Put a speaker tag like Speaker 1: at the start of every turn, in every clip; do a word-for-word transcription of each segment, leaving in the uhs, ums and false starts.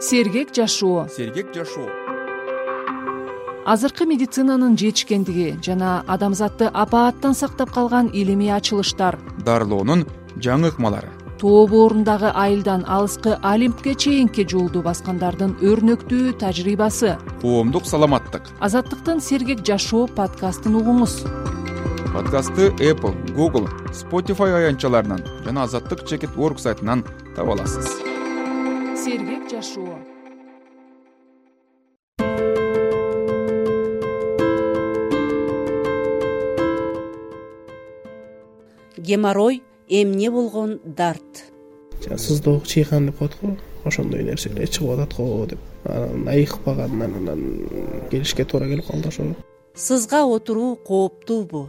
Speaker 1: Сергек жашоо.
Speaker 2: Сергек жашоо.
Speaker 1: Азыркы медицинанын жетишкендиги жана адамзатты апааттан сактап калган илимий ачылыштар,
Speaker 2: дарылоонун жаңы ыкмалары,
Speaker 1: тоо боорундагы айылдан алыскы Олимпке чейинки жолду баскандардын өрнөктүү тажрыйбасы.
Speaker 2: Коомдук саламаттык.
Speaker 1: Азаттыктын Сергек жашоо подкастын угуңуз.
Speaker 2: Подкастты Apple, Google, Spotify аянтчаларынан жана азаттык чекит точка орг сайтынан таба аласыз.
Speaker 1: Сергек жашоо.
Speaker 3: Геморрой эмне болгон дарт.
Speaker 4: Сыздоо чыйган деп коет го, ошондой нерселер чыгып атат го деп. Анан айыкпагандан анан келишке туура келип калды ошо.
Speaker 3: Сызга отуруу кооптуубу?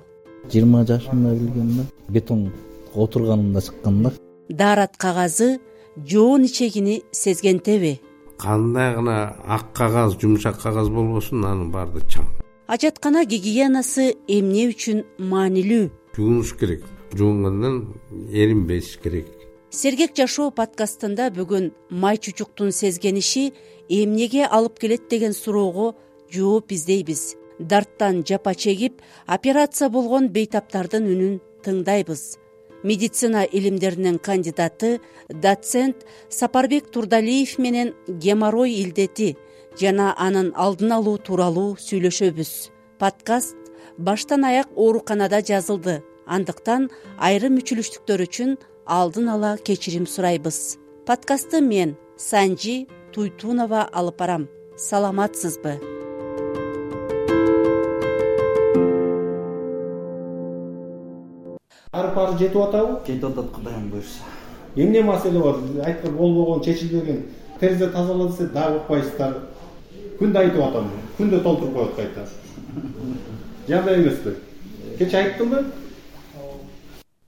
Speaker 5: жыйырма жашымда билгем да, бетон отурганымда чыккан да.
Speaker 3: Даарат кагазы жоон ичегини сезгентеби?
Speaker 6: Кандай гана ак кагаз, жумшак кагаз болбосун, анын баары чаң.
Speaker 3: Ажаткана гигиенасы эмне үчүн маанилүү?
Speaker 6: Жуунуш керек. Жуунгондон эринбеш керек.
Speaker 3: Сергек жашоо подкастында бүгүн май чучуктун сезгениши эмнеге алып келет деген суроого жооп издейбиз. Дарттан жапа чегип, операция болгон бейтаптардын үнүн тыңдайбыз. Медицина илимдеринин кандидаты, доцент Сапарбек Турдалиев менен геморрой илдети жана анын алдын алуу тууралуу сүйлөшөбүз. Подкаст баштан аяк ооруканада жазылды. Андыктан айрым мүчүлүштүктөр үчүн алдын ала кечирим сурайбыз. Подкастты мен, Санжи Туйтунова алып барам. Саламатсызбы?
Speaker 7: Арпары жетип атабы?
Speaker 5: Жетип атат, Кудайым буйрса.
Speaker 7: Эмне маселе бар? Айткан болбогон, чечилбеген. Терезе тазала десе дагы укпайсыздар. Күндө айтып атам. Күндө толтуруп коет кайта. Жагдай эмеспи? Кеч айттымбы?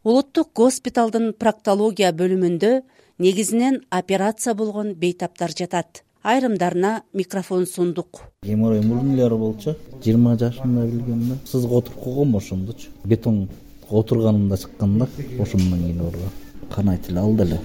Speaker 3: Улуттук госпиталдын проктология бөлүмүндө негизинен операция болгон бейтаптар жатат. Айрымдарына микрофон сундук.
Speaker 5: Геморрой мурун болчу, жыйырма жашымда билгем да. Сызга отуруп койгом ошондочу. Бетон отурганымда чыккан да, ошондон кийин ооруган. Кан айтып алды эле.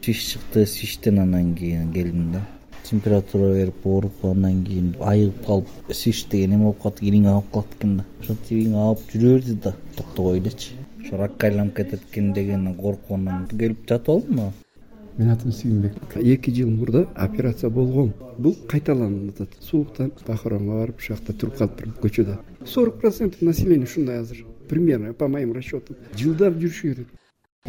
Speaker 5: Шиш чыкты, шиштен анан кийин келдим да. Температура берип ооруп, андан кийин айыгып калып, шиш деген эме болуп калды, кириң агып калат экен да. Ошентип кийин агып жүрө берди да, токтобой элечи. Ошо ракка айланып кетет экен дегенден корккондон келип жатып алдым.
Speaker 8: Мен атым Сүйүнбек. эки жыл мурда операция болгон. Бул кайталанып атат. Сууктан Бахаронго барып, ушакта туруп калыптырмын көчөдө. сорок процент населения ушундай азыр. Примерно по моим расчетам. Жылдап жүрүшү керек.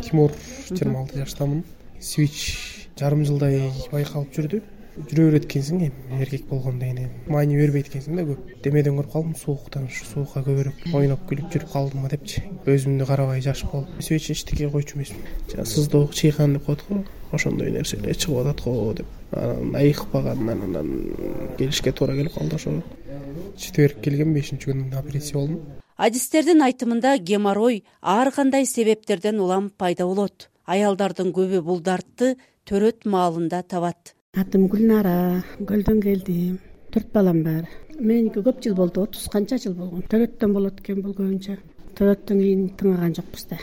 Speaker 4: Тимур жыйырма алты жаштамын. Свич жарым жылдай байкалып жүрдү. Жүрө берет экенсиң, эми эркек болгондо эми майни бербейт экенсиң да көп. Демеден көрүп калдым, сууктан ушу суукка көбүрөөк ойноп күлүп жүрүп калдым депчи. Өзүмдү карабай жашып калдым. Свич эчтеке койчу эмесмин. Жана сыздоо чыйган деп коет го, ошондой нерселер чыгып атат го деп. Анан айыкпагандан анан келишке туура келип калды ошо. Четверг келген, бешинчи күнү операция болдум.
Speaker 3: Адистердин айтымында геморрой ар кандай себептерден улам пайда болот. Аялдардын көбү бул дартты төрөт маалында табат.
Speaker 9: Атым Гүлнара, Көлдөн келдим. Төрт балам бар. Меники көп жыл болду, отуз канча жыл болгон. Төрөттөн болот экен бул көбүнчө. Төрөттөн кийин тыңаган жокпуз да.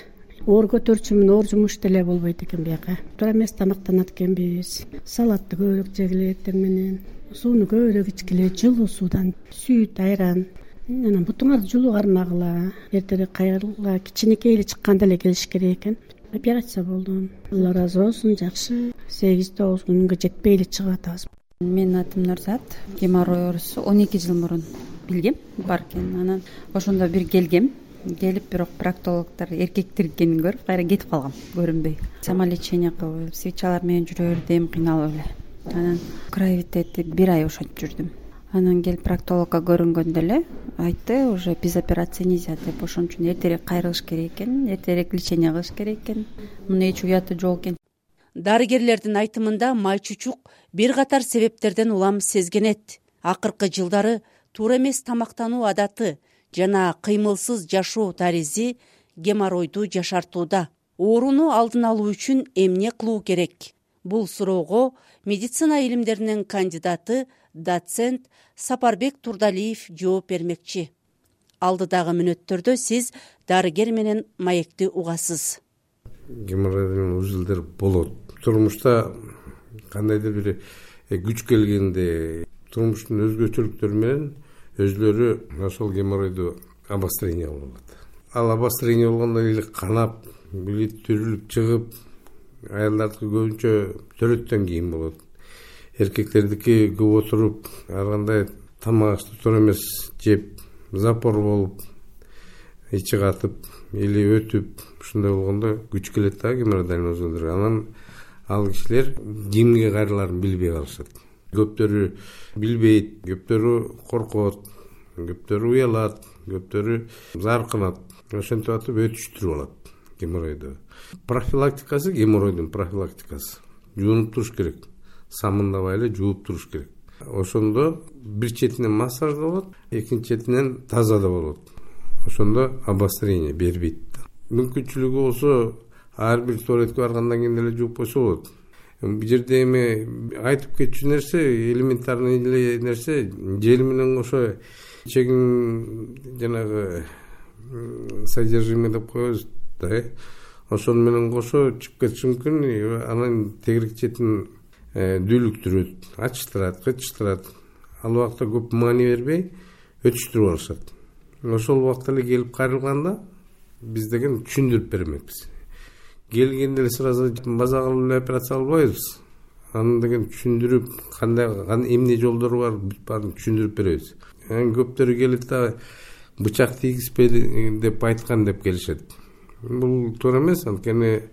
Speaker 9: Оор көтөрчүмүн, оор жумуш деле болбойт экен бияка. Туура эмес тамактанат экенбиз. Салатты көбүрөөк жегиле эртең менен. Сууну көбүрөөк ичкиле, жылуу суудан, сүт, айран. Анан бутуңарды жылуу кармагыла. Эртерээк кайрыла, кичинекей эле чыкканда эле келиш керек экен. Операция болдум. Алла ыраазы болсун, жакшы. сегиз тогуз күнгө жетпей эле чыгып атабыз.
Speaker 10: Менин атым Нурзат. Геморрой оорусу он эки жыл мурун билгем бар экен. Анан ошондо бир келгем. Келип, бирок проктологдор эркектер экенин көрүп, кайра кетип калгам, көрүнбөй. Самолечение кылып, свечалар менен жүрө бердим, кыйналып эле. Анан кровитети бир ай ошентип жүрдүм. Анан келип проктологко көрүнгөндө эле айтты, уже без операции нельзя деп, ошон үчүн эртерээк кайрылыш керек экен, эртерээк лечение кылыш керек экен. Муну эч уяты жок экен.
Speaker 3: Дарыгерлердин айтымында май чучук бир катар себептерден улам сезгенет. Акыркы жылдары туура эмес тамактануу адаты жана кыймылсыз жашоо тарзи геморройду жашартууда. Ооруну алдын алуу үчүн эмне кылуу керек? Бул суроого медицина илимдеринин кандидаты, доцент Сапарбек Турдалиев жооп бермекчи. Алдыдагы мүнөттөрдө сиз дарыгер менен маекти угасыз.
Speaker 6: Геморройдун үзүлдөрү болот. Турмушта кандайдыр бир күч келгенде турмуштун өзгөчөлүктөрү менен өзлөрү ошол геморройду обострение болот. Ал обострение болгондо эле канап, билет түрүлүп чыгып, аялдардыкы көбүнчө төрөттөн кийин болот. Эркектердики көп отуруп, ар кандай тамак ашты туура эмес жеп, запор болуп, ичи катып или өтүп, ушундай болгондо күч келет да геморройдальный узелдерге. Анан ал кишилер кимге кайрылаарын билбей калышат. Көптөрү билбейт, көптөрү коркот, көптөрү уялат, көптөрү заркынат. Ошентип атып өтүштүрүп алат геморройду. Профилактикасы, геморройдун профилактикасы жуунуп туруш керек. Самындабай эле жууп туруш керек. Ошондо бир четинен массаж да болот, экинчи четинен таза да болот. Ошондо обострение бербейт. Мүмкүнчүлүгү болсо ар бир туалетке баргандан кийин эле жууп койсо болот. Бул жерде эми айтып кетчү нерсе, элементарный эле нерсе, жел менен кошо чегин жанагы содержимое деп коебуз да. Ошону менен кошо чыгып кетиши мүмкүн. Анан тегерек четин дүүлүктүрөт, ачыштырат, кычыштырат. Ал убакта көп маани бербей өтүштүрүп алышат. Ошол убакта эле келип кайрылганда биз деген түшүндүрүп бермекпиз. Келгенде эле сразу база кылып эле операция кылбайбыз. Аны деген түшүндүрүп, кандай эмне жолдору бар, бүт баарын түшүндүрүп беребиз. Анан көптөрү келет да бычак тийгизбеди деп айткан деп келишет. Бул туура эмес, анткени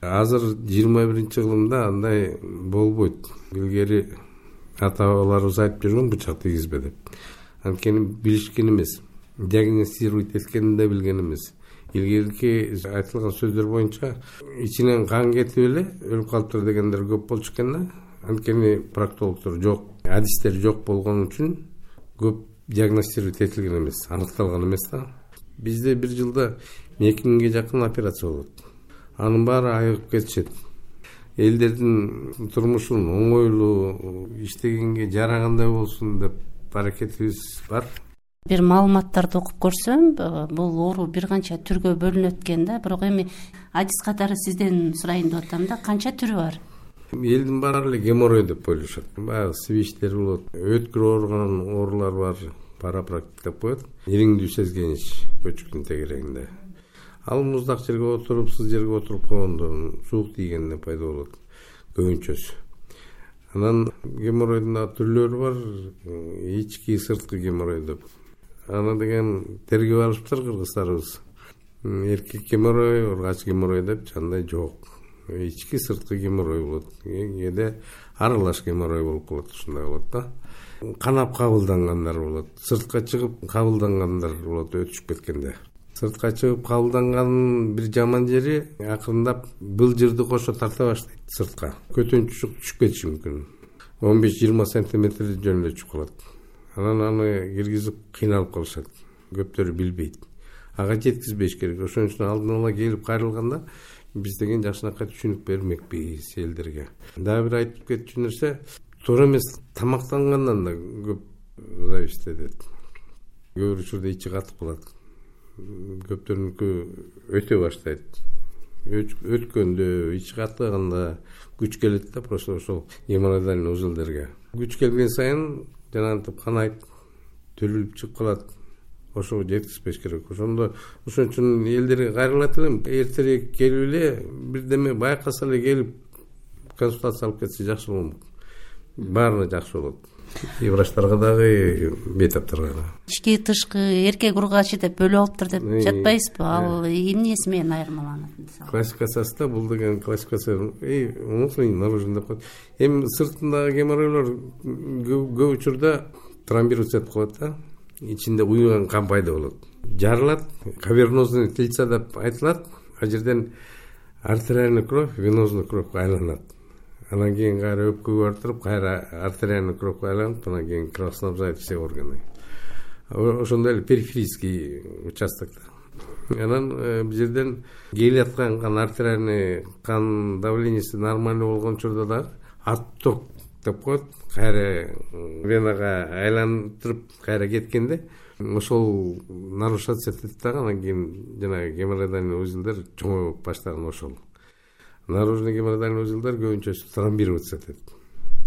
Speaker 6: азыр жыйырма биринчи кылымда андай болбойт. Илгери ата-бабаларыбыз айтып жүргөн бычак тийгизбе деп. Анткени билишкен эмес, диагностировать эткенин да билген эмес. Илгерки айтылган сөздөр боюнча ичинен кан кетип эле өлүп калыптыр дегендер көп болчу экен да. Анткени проктологдор жок, адистер жок болгон үчүн көп диагностировать этилген эмес, аныкталган эмес да. Бизде бир жылда эки миңге жакын операция болот. Анын баары айыгып кетишет. Элдердин турмушун оңойлуу иштегенге жарагандай болсун деп аракетибиз бар.
Speaker 3: Бир маалыматтарды окуп көрсөм, бул оору бир канча түргө бөлүнөт экен да. Бирок эми адис катары сизден сурайын деп атам да, канча түрү бар?
Speaker 6: Элдин баары эле геморрой деп ойлошот. Баягы свичтер болот, өткүр ооруган оорулар бар, парапрактик деп коет. Ириңдүү сезгенич көчүктүн тегерегинде. Ал муздак жерге отуруп, сыз жерге отуруп койгондо суук тийгенде пайда болот көбүнчөсү. Анан геморройдун түрлөрү бар, ички, сырткы геморрой деп. Аны деген тергеп алышыптыр кыргыздарыбыз. Эркек геморрой, ургач геморрой деп жандай жок. Ички, сырткы геморрой болот. Кээде аралаш геморрой болуп калат, ушундай болот да. Канап кабылдангандар болот, сыртка чыгып кабылдангандар болот өтүшүп кеткенде. Сыртка чыгып кабылданганын бир жаман жери акырындап былжырды кошо тарта баштайт сыртка. Көтөнчүк түшүп кетиши мүмкүн. он беш жыйырма сантиметр жөн эле түшүп калат. Анан аны киргизип кыйналып калышат. Көптөрү билбейт. Ага жеткизбеш керек. Ошон үчүн алдын ала келип кайрылганда биз деген жакшынакай түшүнүк бермекпиз элдерге. Дагы бир айтып кетчү нерсе, туура эмес тамактангандан да көп зависит этет. Көп учурда ичи катып калат. Көптөрүнүкү өтө баштайт. Өткөндө, ичи катыганда күч келет да, просто ошол геморройдальный узелдерге. Күч келген сайын жанагынтип канайт, төрүлүп чыгып калат. Ошого жеткизбеш керек. Ошондо ошон үчүн элдерге кайрылат элем, эртерээк келип эле бирдеме байкаса эле келип консультация алып кетсе жакшы болмок. Баарына жакшы болот. И врачтарга дагы, бейтаптарга да.
Speaker 3: Ички, тышкы, эркек ургачы деп бөлүп алыптыр деп жатпайсызбы? Ал эмнеси менен айырмаланат?
Speaker 6: Классификациясы да бул деген классификация, эй, внутренний, наружный деп коет. Эми сыртындагы геморройлор көп учурда тромбируется деп коет да. Ичинде уюган кан пайда болот. Жарылат, кавернозный тельца деп айтылат. А жерден артериальный кровь, венозный кровьга айланат. Анан кийин кайра өпкөгө бартырып, кайра артериальный кровьга айланып, анан кийин кровоснабжает все органы. Ошондой эле периферийский участокто. Анан бул жерден келип аткан кан, артериальный кан давлениеси нормальный болгон учурда дагы отток деп коет. Кайра венага айлантырып кайра кеткенде ошол нарушаться этет дагы, анан кийин жанагы геморройдальный узелдер чоңоюп баштаган ошол. Наружный геморройдальный узелдер көбүнчө тромбироваться этет.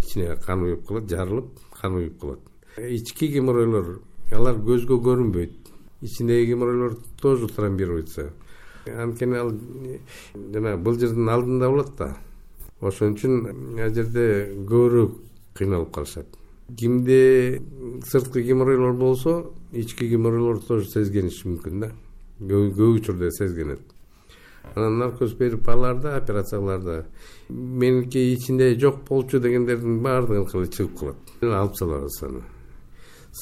Speaker 6: ичине кан уюп калат, жарылып кан уюп калат. Ички геморройлор алар көзгө көрүнбөйт. Ичиндеги геморройлор тоже тромбируется. Анткени ал жана былжырдын алдында болот да. Ошон үчүн ал жерде көбүрөөк кыйналып калышат. Кимде сырткы геморройлор болсо, ички геморройлор тоже сезгениши мүмкүн да. Көп учурда сезгенет. Анан наркоз берип аларда, операцияларда меники ичинде жок болчу дегендердин баардыгын кылып чыгып калат. Алып салабыз аны.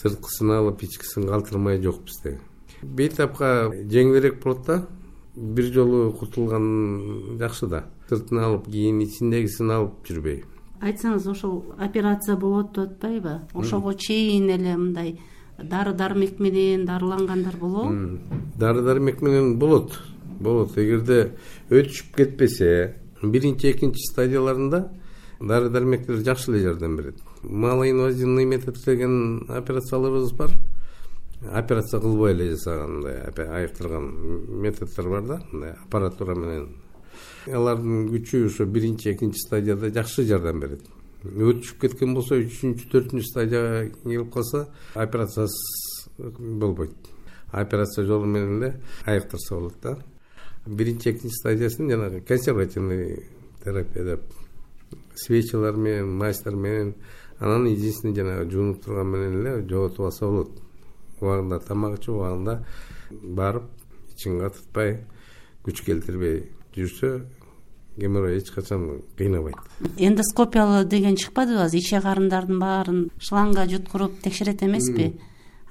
Speaker 6: Сырткысын алып, ичкисин калтырмай жок бизде. Бейтапка жеңилирээк болот да. Бир жолу кутулган жакшы да. Сыртын алып, кийин ичиндегисин алып жүрбөй.
Speaker 3: Айтсаңыз, ошол операция болот деп атпайбы? Ошого чейин эле мындай дары-дармек менен дарылангандар болобу?
Speaker 6: Дары-дармек менен болот. Болот. Эгерде өтүшүп кетпесе, биринчи, экинчи стадияларында дары-дармектер жакшы эле жардам берет. Малоинвазивный метод деген операцияларыбыз бар. Операция кылбай эле жасагандай айыктырган методдор бар да, мындай аппаратура менен. Алардын күчү ошо биринчи, экинчи стадияда жакшы жардам берет. Өтүшүп кеткен болсо, үчүнчү, төртүнчү стадияга келип калса, операциясыз болбойт. Операция жолу менен эле айыктырса болот да. Биринчи, экинчи стадиясын жанагы консервативный терапия деп свечалар менен, мазьтар менен, анан единственный жанагы жуунуп турган менен эле жоготуп алса болот. Убагында тамак ичип, убагында барып, ичин катытпай, күч келтирбей жүрсө, геморрой эч качан кыйнабайт.
Speaker 3: Эндоскопиялы деген чыкпадыбы? Иче карындардын баарын шлангга жуткуруп текшерет эмеспи?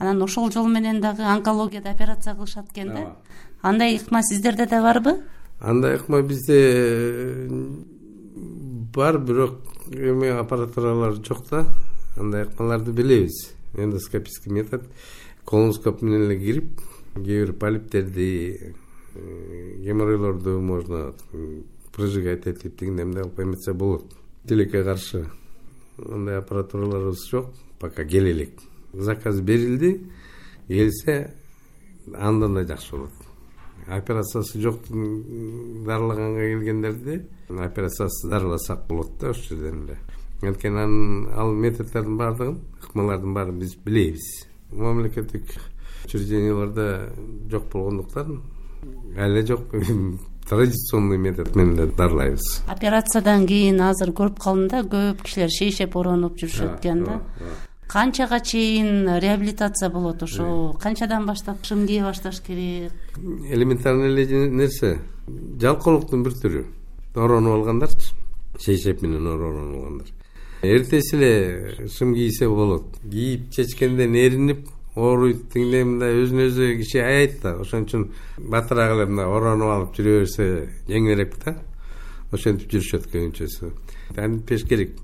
Speaker 3: Анан ошол жол менен дагы онкологияда операция кылышат экен да. Андай ыкма сиздерде да барбы?
Speaker 6: Андай ыкма бизде бар, бирок эме аппаратуралар жок да. Андай ыкмаларды билебиз. Эндоскопический метод. Колоноскоп менен эле кирип, кээ бир полиптерди, геморройлорду можно прожигать этип деген эмне кылып эметсе болот. Тилекке каршы андай аппаратураларыбыз жок, пока келе элек. Заказ берилди, келсе андан да жакшы болот. Операциясы жок дарылаганга келгендерди операциясыз дарыласак болот да ошол жерден эле. Анткени анын ал методдордун баардыгын, ыкмалардын баарын биз билебиз. Мамлекеттик учрежденияларда жок болгондуктан эле жок традиционный метод менен эле дарылайбыз.
Speaker 3: Операциядан кийин азыр көрүп калдым да, көп кишилер шейшеп оронуп жүрүшөт экен да. Канчага чейин реабилитация болот ошо? Канчадан баштап эмне башташ керек?
Speaker 6: Элементарный эле нерсе. Жалкоолуктун бир түрү. Оронуп алгандарчы, шейшеп менен оронуп алгандар. Эртеси эле шым кийсе болот. Кийип чечкенден эринип, ооруйт дегенде мындай өзүнө өзү киши аят да. Ошон үчүн батыраак эле мындай оронуп алып жүрө берсе жеңилирээк да. Ошентип жүрүшөт көбүнчөсү. Антипеш керек.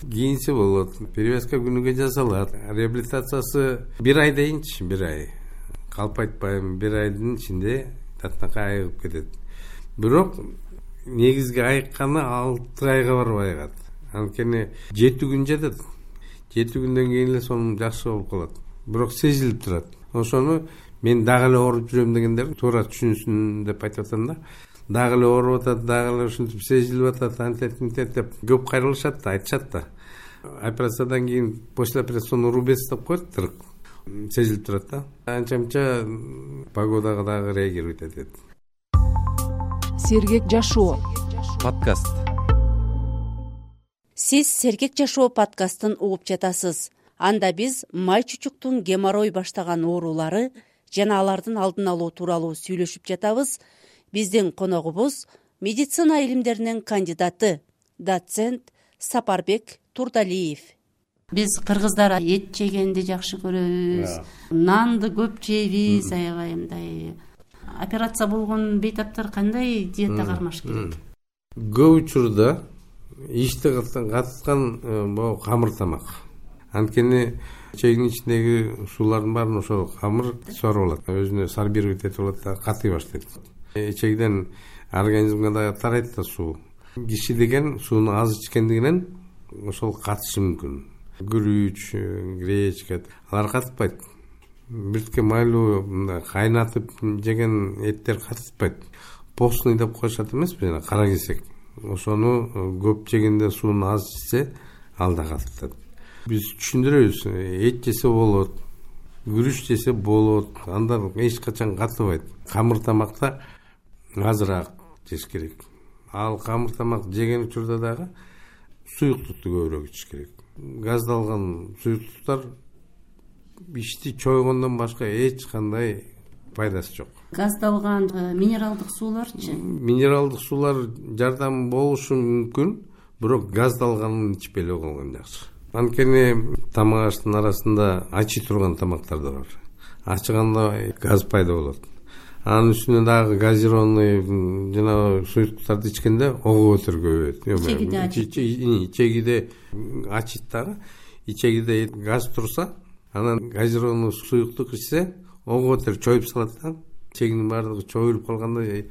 Speaker 6: Кийинси болот. Перевязка күнүгө жасалат. Реабилитациясы бир ай дейинчи, бир ай. Калп айтпайм, бир айдын ичинде татнакай айыгып кетет. Бирок негизги айыкканы алты айга барып айыгат. Анткени жети күн жатат. жети күндөн кийин эле сонун жакшы болуп калат. Бирок сезилип турат. Ошону мен дагы эле ооруп жүрөм дегендер туура түшүнсүн деп айтып атам да. Дагы эле ооруп атат, дагы эле ушинтип сезилип атат, антет мынтет деп көп кайрылышат да, айтышат да. Операциядан кийин послеоперационный рубец деп коет, тырык. Сезилип турат да. Анча-мынча погодага дагы реагировать этет.
Speaker 1: Сергек жашоо
Speaker 2: подкаст.
Speaker 3: Сиз Сергек жашоо подкастын угуп жатасыз. Анда биз май чучуктун геморрой баштаган оорулары жана алардын алдын алуу тууралуу сүйлөшүп жатабыз. Биздин коногубуз медицина илимдеринин кандидаты, доцент Сапарбек Турдалиев. Биз кыргыздар эт жегенди жакшы көрөбүз, нанды көп жейбиз, аябай мындай. Операция болгон бейтаптар кандай диета кармаш керек?
Speaker 6: Көп учурда ишти катыткан бул камыр тамак. Анткени чегин ичиндеги суулардын баарын ошол камыр соруп алат. Өзүнө сорбировать этип алат да, катый баштайт. Эчегиден организмге да тарайт да суу. Киши деген сууну аз ичкендигинен ошол катышы мүмкүн. Күрүч, гречка алар катытпайт. Биртке майлуу мындай кайнатып жеген эттер катытпайт. Постный деп коюшат эмеспи, жана кара кесек. Ошону көп жегенде сууну аз ичсе, ал да катып атат. Биз түшүндүрөбүз, эт жесе болот, күрүч жесе болот, андан эч качан катыбайт. Камыр тамакта азыраак жеш керек. Ал камыр тамак жеген учурда дагы суюктукту көбүрөөк ичиш керек. Газдалган суюктуктар ичти чойгондон башка эч кандай пайдасы жок.
Speaker 3: Газдалган минералдык сууларчы?
Speaker 6: Минералдык суулар жардам болушу мүмкүн, бирок газдалганын ичпей эле койгон жакшы. Анткени тамак аштын арасында ачый турган тамактар да бар. Ачыганда газ пайда болот. Анын үстүнө дагы газированный жана суюктуктарды ичкенде ого көтөр көбөйөт. Ичегиде ачыйт дагы. Ичегиде газ турса, анан газированный суюктук ичсе, ого көтөр чоюп салат да. Ичегинин баардыгы чоюлуп калганда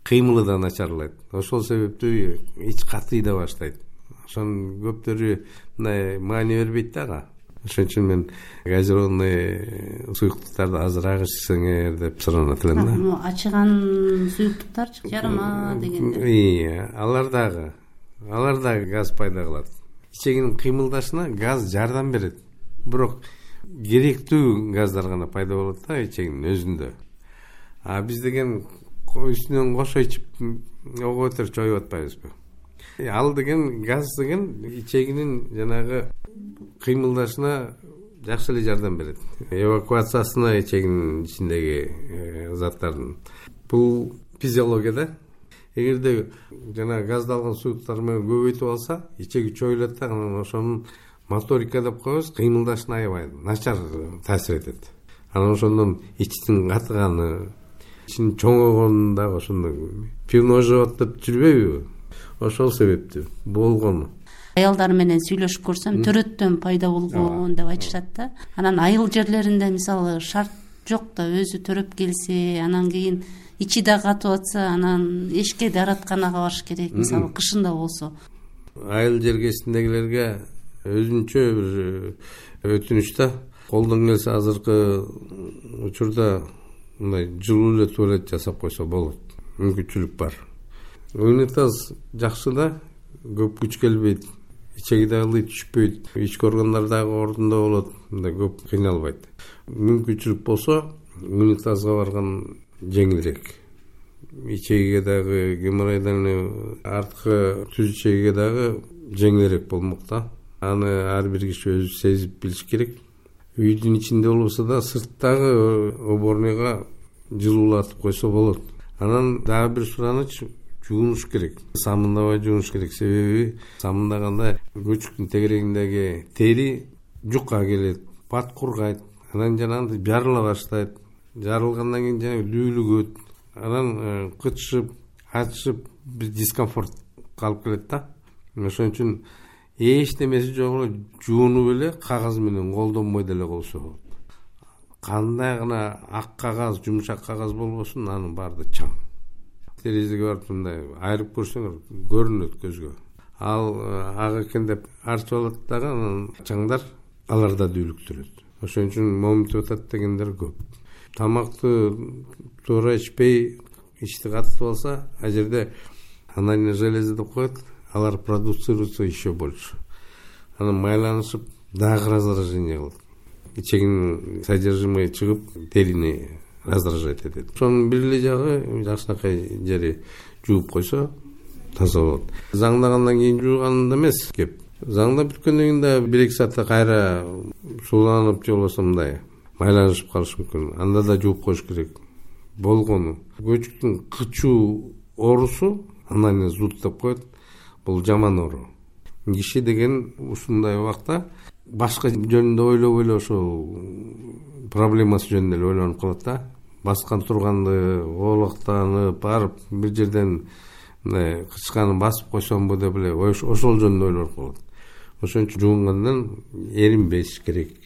Speaker 6: кыймылы да начарлайт. Ошол себептүү ич катыйда баштайт. Ошонун көптөрү мындай маани бербейт дагы. Ошон үчүн мен газированный суюктуктарды азыраак ичсеңер деп суранат элем да.
Speaker 3: Ачыган суюктуктарчы, жарыма дегенде.
Speaker 6: Ии, алар дагы, алар дагы газ пайда кылат. Ичегинин кыймылдашына газ жардам берет. Бирок керектүү газдар гана пайда болот да ичегинин өзүндө. А биз деген үстүнөн кошо ичип ого көтөр чоюп атпайбызбы? Ал деген газ деген ичегинин жанагы кыймылдашына жакшы эле жардам берет. Эвакуациясына ичегинин ичиндеги заттардын. Бул физиологияда. Эгерде жана газдалган суюктар менен көбөйтүп алса, ичеги чоюлат да, анан ошонун моторика деп коебуз, кыймылдашына аябай начар таасир этет. Анан ошондон ичтин катыганы, ичин чоңойгону дагы ошондой пивно жеп деп жүрбөйбү? Ошол себептүү болгону.
Speaker 3: Аялдар менен сүйлөшүп көрсөм, төрөттөн пайда болгон деп айтышат да. Анан айыл жерлеринде мисалы шарт жок да, өзү төрөп келсе, анан кийин ичи да катып атса, анан эшикке дааратканага барыш керек, мисалы кышында болсо.
Speaker 6: Айыл жергесиндегилерге өзүнчө бир өтүнүч да. Колдон келсе азыркы учурда мындай жылуу эле туалет жасап койсо болот. Мүмкүнчүлүк бар. Унитаз жакшы да, көп күч келбейт. Ичеги дагы түшпөйт. Ички органдар дагы ордунда болот. Мындай көп кыйналбайт. Мүмкүнчүлүк болсо, унитазга барган жеңилирээк. Ичегиге дагы геморройдон арткы түз ичегиге дагы жеңилирээк болмок да. Аны ар бир киши өзү сезип билиш керек. Үйдүн ичинде болбосо да сырттагы уборныйга жылуулатып койсо болот. Анан дагы бир сураныч, жуунуш керек. Самындабай жуунуш керек. Себеби самындаганда көчүктүн тегерегиндеги тери жукка келет, бат кургайт. Анан жанагындай жарыла баштайт. Жарылгандан кийин жана дүүлүгөт. Анан кычышып, ачышып, бир дискомфорт калып келет да. Ошон үчүн эч немеси жок эле жуунуп эле кагаз менен колдонбой деле койсо болот. Кандай гана ак кагаз, жумшак кагаз болбосун, анын баары чаң. Терезеге барып мындай айрып көрсөңөр көрүнөт көзгө. Ал ак экен деп арчып алат дагы, анан чаңдар алар да дүүлүктүрөт. Ошон үчүн моминтип атат дегендер көп. Тамакты туура ичпей, ичти катытып алса, а жерде анальный железа деп коет, алар продуцируются еще больше. Анан майланышып дагы раздражение кылат. Ичегинин содержимое чыгып, терини раздражать этет. Ошонун бир эле жагы жакшынакай жери жууп койсо таза болот. Заңдагандан кийин жууганында эмес кеп. Заңда бүткөндөн кийин да бир эки саатта кайра сууланып же болбосо мындай майланышып калышы мүмкүн. Анда да жууп коюш керек. Болгону көчүктүн кычуу оорусу, анан зуд деп коет. Бул жаман оору. Киши деген ушундай убакта башка жөнүндө ойлоп эле ошол проблемасы жөнүндө эле ойлонуп калат да. Баскан турганды, оолактанып, барып бир жерден мындай кычканы басып койсомбу деп эле ошол жөнүндө ойлонуп калат. Ошон үчүн жуунгандан эринбеш керек.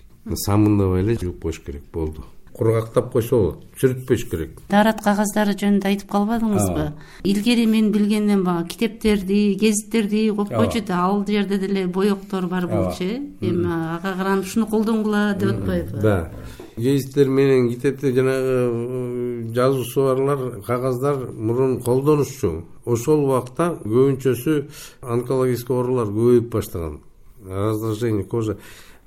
Speaker 6: Самындабай эле жууп коюш керек болду. Кургактап койсо болот, сүрүтпөш керек.
Speaker 3: Даарат кагаздары жөнүндө айтып калбадыңызбы? Илгери мен билгенден бага китептерди, гезиттерди коюп койчу да, ал жерде деле боектор бар болчу, эми ага каранып ушуну колдонгула деп атпайбы?
Speaker 6: Да. Гезиттер менен китепте жанагы жазуусу барлар, кагаздар мурун колдонушчу. Ошол убакта көбүнчөсү онкологический оорулар көбөйүп баштаган. раздражение кожи.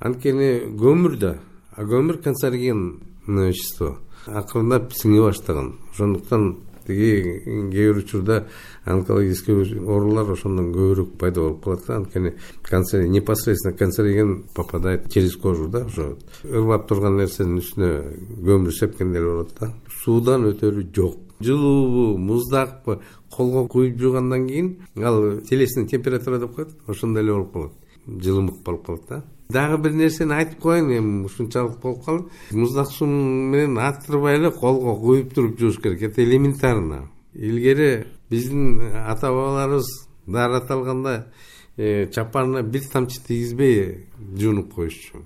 Speaker 6: Анткени көмүр да, а көмүр канцерогенное вещество. Акырындап сиңе баштаган. Ошондуктан тиги кээ бир учурда онкологический оорулар ошондон көбүрөөк пайда болуп калат. Анткени канцер непосредственно канцероген попадает через кожу да. Ошо ырбап турган нерсенин үстүнө көмүр сепкенде болот да. Суудан өтөрү жок. Жылуубу, муздакпы колго куюп жуугандан кийин ал телесный температура деп коет. Ошондой эле болуп калат. Жылымык болуп калат да. Дагы бир нерсени айтып коеюн, эми ушунчалык болуп калды. Муздак суу менен аттырбай эле колго куюп туруп жууш керек. Это элементарно. Илгери биздин ата бабаларыбыз даарат алганда чапанына бир тамчы тийгизбей жуунуп коюшчу.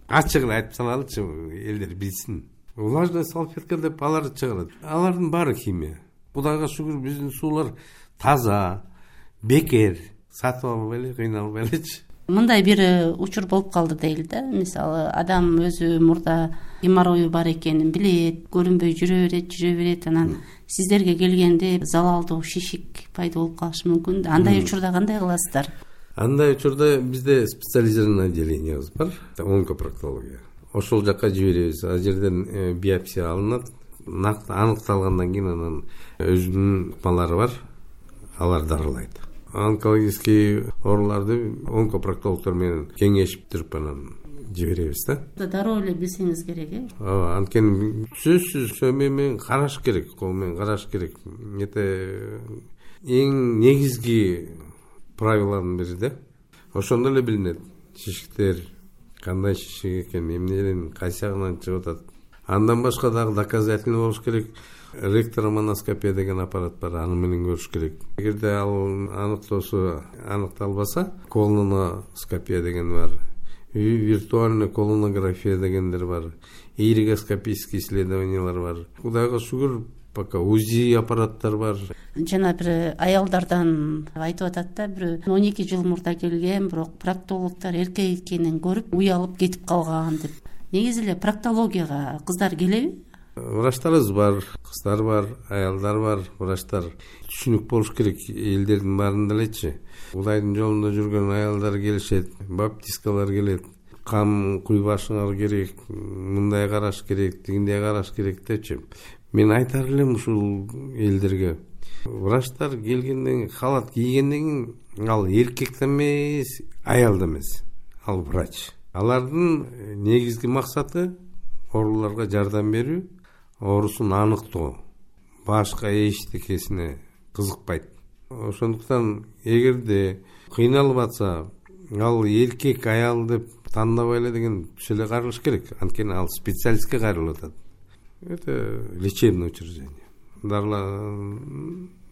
Speaker 6: Ачык эле айтып салалычы, элдер билсин. Влажная салфетка деп алар чыгарат. Алардын баары химия. Кудайга шүгүр биздин суулар таза, бекер. Сатып албай эле, кыйналбай элечи.
Speaker 3: Мындай бир учур болуп калды дейли да. Мисалы, адам өзү мурда геморрою бар экенин билет, көрүнбөй жүрө берет, жүрө берет, анан сиздерге келгенде залалдуу шишик пайда болуп калышы мүмкүн. Андай учурда кандай кыласыздар?
Speaker 6: Андай учурда бизде специализированный отделениябыз бар, онкопроктология. Ошол жака жиберебиз. Ал жерден биопсия алынат, аныкталгандан кийин анан өзүнүн ыкмалары бар, алар дарылайт. Онкологический ооруларды онкопроктологдор менен кеңешип туруп анан жиберебиз да.
Speaker 3: Дароо эле билсеңиз керек, э?
Speaker 6: Ооба, анткени сөзсүз сөмө менен караш керек, кол менен караш керек. Эте эң негизги правиланын бири да. Ошондо эле билинет шишиктер кандай шишик экен, эмнеден кайсы жагынан чыгып атат. Андан башка дагы доказательный болуш керек. Ректромоноскопия деген аппарат бар, аны менен көрүш керек. Эгерде ал аныктоосу аныкталбаса, колоноскопия деген бар, виртуальный колонография дегендер бар, иригоскопический исследованиялар бар. Кудайга шүгүр, пока УЗИ аппараттар бар.
Speaker 3: Жана бир аялдардан айтып атат да, бир он эки жыл мурда келген, бирок проктологдор эркек экенин көрүп, уялып кетип калган деп. Негизи эле проктологияга кыздар келеби?
Speaker 6: Врачтарыбыз бар, кыздар бар, аялдар бар. Врачтар түшүнүк болуш керек элдердин баарында элечи. Кудайдын жолунда жүргөн аялдар келишет, баптисткалар келет. Кам куйбашыңар керек, мындай караш керек, тигиндей караш керек депчи. Мен айтар элем ушул элдерге. Врачтар келгенден, халат кийгенден кийин ал эркек да эмес, аял да эмес. Ал врач. Алардын негизги максаты ооруларга жардам берүү, оорусун аныктоо. Башка эчтекесине кызыкпайт. Ошондуктан эгерде кыйналып атса, ал эркек, аял деп тандабай эле деген түшө эле каралыш керек. Анткени ал специалистке кайрылып атат. Это лечебное учреждение. Дарла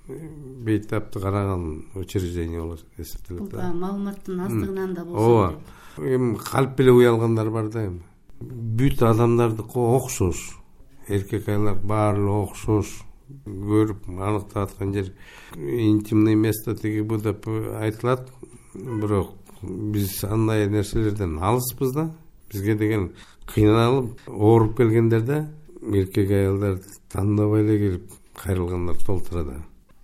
Speaker 6: бейтапты караган учреждение болот эсептелет.
Speaker 3: Бул маалыматтын аздыгынан да болсо.
Speaker 6: Ооба. Эми калп эле уялгандар бар да эми. Бүт адамдардыкы окшош. Эркек аялдар баары эле окшош. Көрүп аныктап аткан жер интимный место тиги бу деп айтылат. Бирок биз андай нерселерден алыспыз да. Бизге деген кыйналып, ооруп келгендерде эркек аялдар тандабай эле келип кайрылгандар толтура да.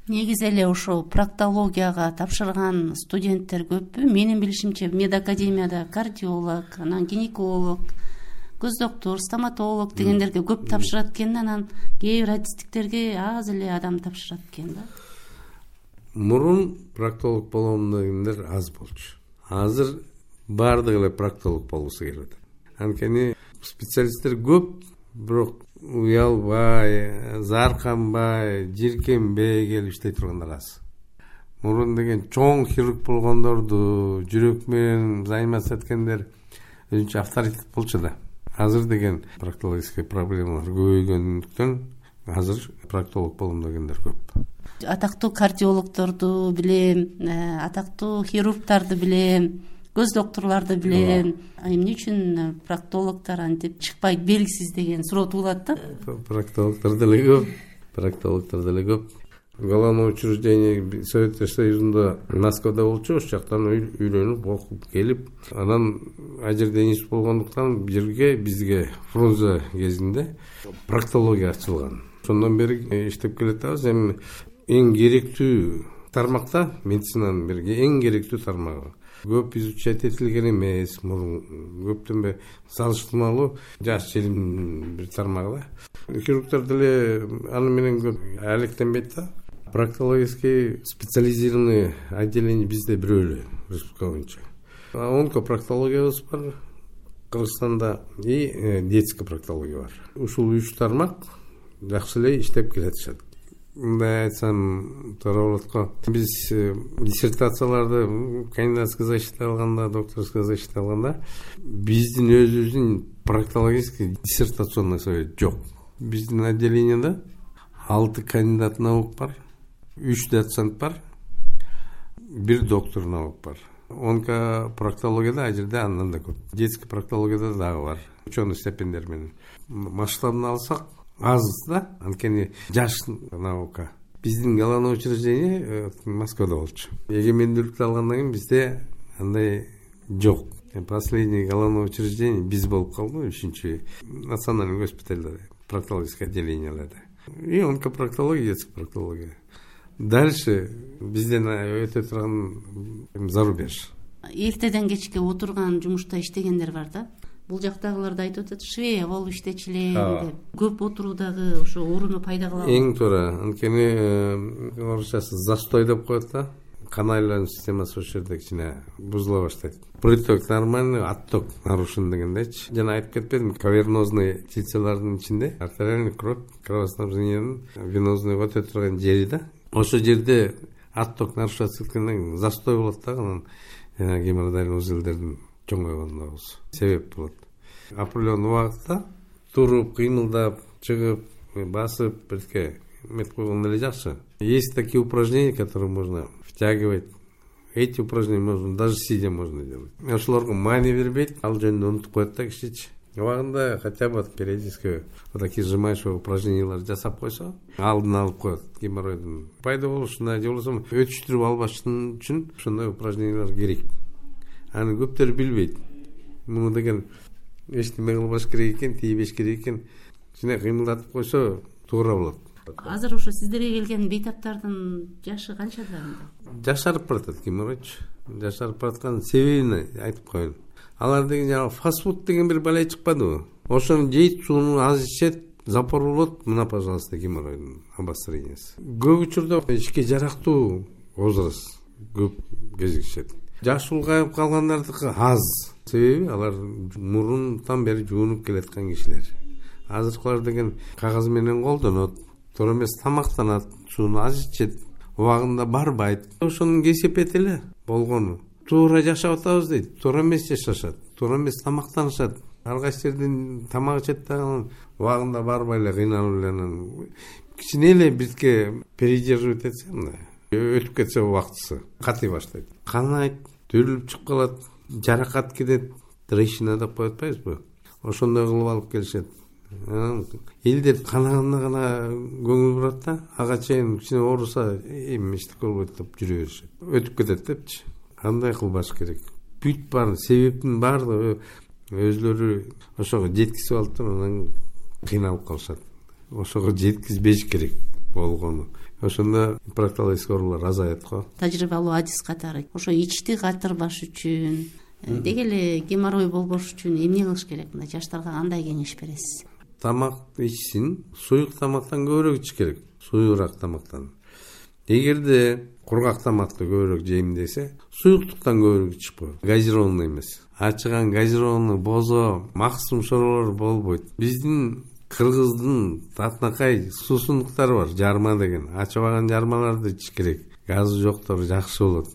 Speaker 3: Негизи эле ошо проктологияга тапшырган студенттер көппү? Менин билишимче медакадемияда кардиолог, анан гинеколог, көз доктор, стоматолог дегендерге көп тапшырат экен, анан кээ бир артисттиктерге аз эле адам тапшырат экен да.
Speaker 6: Мурун проктолог болом дегендер аз болчу. Азыр баардыгы эле проктолог болгусу келип атат. Анткени специалисттер көп, бирок уялбай, зарканбай, жиркенбей келип иштей тургандар аз. Мурун деген чоң хирург болгондорду, жүрөк менен заниматься эткендер өзүнчө авторитет болчу да. Азыр деген проктологический проблемалар көбөйгөндүктөн азыр проктолог болом дегендер көп.
Speaker 3: Атактуу кардиологдорду билем, атактуу хирургдарды билем, көз докторлорду билем. Эмне үчүн проктологдор антип чыкпайт белгисиз деген суроо туулат да.
Speaker 6: Проктологдор деле көп, проктологдор деле көп. Главное учреждение Совет Союзунда Москвада болчу, ошол жактан үйлөнүп, окуп келип, анан ал жерде институт болгондуктан жерге бизге Фрунзе кезинде проктология ачылган. Ошондон бери иштеп келатабыз. Эми эң керектүү тармакта, медицинанын бирге эң керектүү тармагы. көп изучать этилген эмес, мурун көптөн салыштырмалуу жаш желимдин бир тармагы да. Хирургдар деле аны менен көп алектенбейт да. Проктологический специализированный отделение бизде бирөө эле республика боюнча. Онкопроктологиябыз бар Кыргызстанда и детский проктология бар. Ушул үч тармак жакшы эле иштеп келатышат. Мындай айтсам туура болот го. Биз диссертацияларды кандидатский защита алганда, докторский защита алганда биздин өзүбүздүн проктологический диссертационный совет жок. Биздин отделениеде алты кандидат наук бар, үч доцент бар, бир доктор наук бар. Онкопроктологияда а жерде андан да көп. Детский проктологияда дагы бар. Ученый степендер менен. Масштабын алсак аз да, анткени жаш наука. Биздин главный учреждение Москвада болчу. Эгемендүүлүктү алгандан кийин бизде андай жок. Последний главное учреждение биз болуп калды, үчүнчү национальный госпитальда, проктологическое отделениелерде. И онкопроктология, детский проктология. Дальше бизден өтө турган зарубеж.
Speaker 3: Эртеден кечке отурган жумушта иштегендер бар да. Бул жактагыларды айтып атат, швея болуп иштечү элем деп. Көп отуруудагы ошо ооруну пайда кылабы?
Speaker 6: Эң туура. Анткени орусчасы застой деп коет да. Кан айлануу системасы ошол жерде кичине бузула баштайт. Приток нормальный, отток нарушен дегендейчи. Жана айтып кетпедим, кавернозный тилселардын ичинде артериальный кровь, кровоснабжениянын венозный өтө турган жери да. Ошол жерде отток нарушаться эткенден кийин застой болот да, анан геморроидальный узелдердин чоңойгонуна себеп болот. Определенный убакытта туруп, кыймылдап, чыгып, басып, бирке мет койгон эле жакшы. Есть такие упражнения, которые можно втягивать. Эти упражнения можно даже сидя можно делать. Ошолорго маани бербейт, ал жөнүндө унутуп коет да кишичи. Убагында хотя бы периодически вот такие сжимающие упражнениялар жасап койсо, алдын алып коет геморройдун пайда болушуна, же болбосо өтүштүрүп албаш үчүн ошондой упражнениялар керек. Аны көптөр билбейт. Муну деген эчтеме кылбаш керек экен, тийбеш керек экен. Кичине кыймылдатып койсо туура болот.
Speaker 3: Азыр ошо сиздерге келген бейтаптардын жашы канчада?
Speaker 6: Жашарып баратат геморройчу. Жашарып бараткан себебин айтып коеюн. Алар деген жана фастфуд деген бир балай чыкпадыбы? Ошону жейт, сууну аз ичет, запор болот. Мына, пожалуйста, геморройдун обострениясы. Көп учурда ишке жарактуу возраст көп кезигишет. Жаш улгайып калгандардыкы аз. Себеби алар мурунтан бери жуунуп келаткан кишилер. Азыркылар деген кагаз менен колдонот, туура эмес тамактанат, сууну аз ичет, убагында барбайт. Ошонун кесепети эле болгону. Туура жашап атабыз дейт, туура эмес жашашат, туура эмес тамактанышат. Ар кайсы жерден тамак ичет дагы убагында барбай эле кыйналып эле кичине эле бизге передерживать этсе, мындай өтүп кетсе убактысы катый баштайт. Канайт, төрүлүп чыгып калат, жаракат кетет, трещина деп коюп атпайбызбы? Ошондой кылып алып келишет. Элдер канагына гана көңүл бурат да, ага чейин кичине ооруса, эми эчтеке болбойт деп жүрө беришет. Өтүп кетет депчи. Кандай кылбаш керек? Бүт бар, себептин баардыгы өзлөрү ошого жеткизип алып, анан кыйналып калышат. Ошого жеткизбеш керек болгону. Ошондо проктологический оорулар азаят го.
Speaker 3: Тажрыйбалуу адис катары ошо ичти катырбаш үчүн, деги эле геморрой болбош үчүн эмне кылыш керек? Мына жаштарга кандай кеңеш бересиз?
Speaker 6: Тамак ичсин, суюк тамактан көбүрөөк ич керек. Суюгураак тамактан. Эгерде кургак тамакты көбүрөөк жейм десе, суюктуктан көбүрөөк ичип кой. Газированный эмес. Ачыган газированный бозо, максым шоролор болбойт. Биздин кыргыздын татынакай суусундуктары бар, жарма деген. Ачыбаган жармаларды ич керек. Газы жоктор жакшы болот.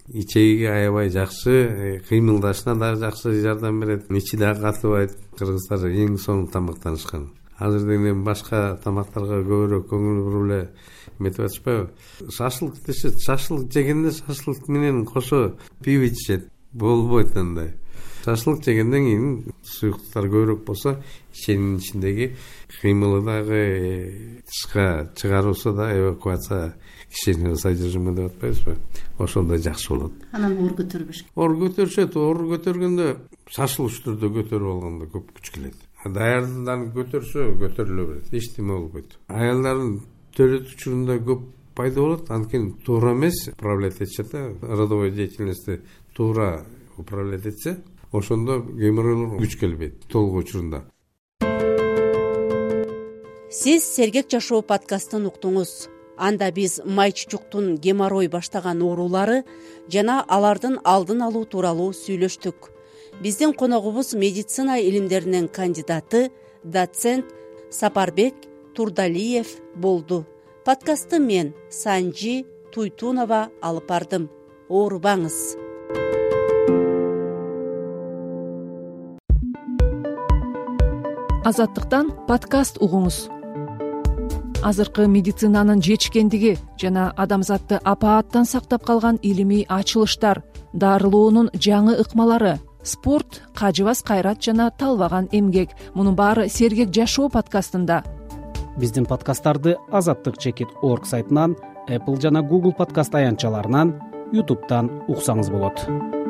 Speaker 6: Ичегиге аябай жакшы, кыймылдашына да жакшы жардам берет. Ичи да катыбайт. Кыргыздар эң соң тамактанышкан. Азыр деген башка тамактарга көбүрөөк көңүл буруп эле метип атышпайбы? Шашлык дешет, шашлык жегенде шашлык менен кошо пиво ичет. Болбойт андай. Шашлык жегенден кийин суюктуктар көбүрөөк болсо, иченин ичиндеги кыймылы дагы тышка чыгаруусу да эвакуация кишинин содержимый деп атпайбызбы? Ошондой жакшы болот.
Speaker 3: Анан оор көтөрбөш.
Speaker 6: Оор көтөрүшөт, оор көтөргөндө шашылыш түрдө көтөрүп алганда көп күч келет. Даярдыдан көтөрсө көтөрүлө берет, эчтеме болбойт. Аялдардын төрөт учурунда көп пайда болот, анткени туура эмес управлять этишет да, родовой деятельности туура управлять этсе, ошондо геморройлор күч келбейт толугу учурунда.
Speaker 3: Сиз Сергек жашоо подкастын уктуңуз. Анда биз май чучуктун геморрой баштаган оорулары жана алардын алдын алуу тууралуу сүйлөштүк. Биздин коногубуз медицина илимдеринин кандидаты, доцент Сапарбек Турдалиев болду. Подкастты мен Санжи Туйтунова алып бардым. Оорубаңыз.
Speaker 1: Азаттыктан подкаст угуңуз. Азыркы медицинанын жетишкендиги жана адамзатты апааттан сактап калган илимий ачылыштар, дарылоонун жаңы ыкмалары, спорт, кажыбас кайрат жана талбаган эмгек. Мунун баары Сергек жашоо подкастында.
Speaker 11: Биздин подкасттарды азаттык чекит орг сайтынан, Apple жана Google подкаст аянтчаларынан, YouTube'дан уксаңыз болот.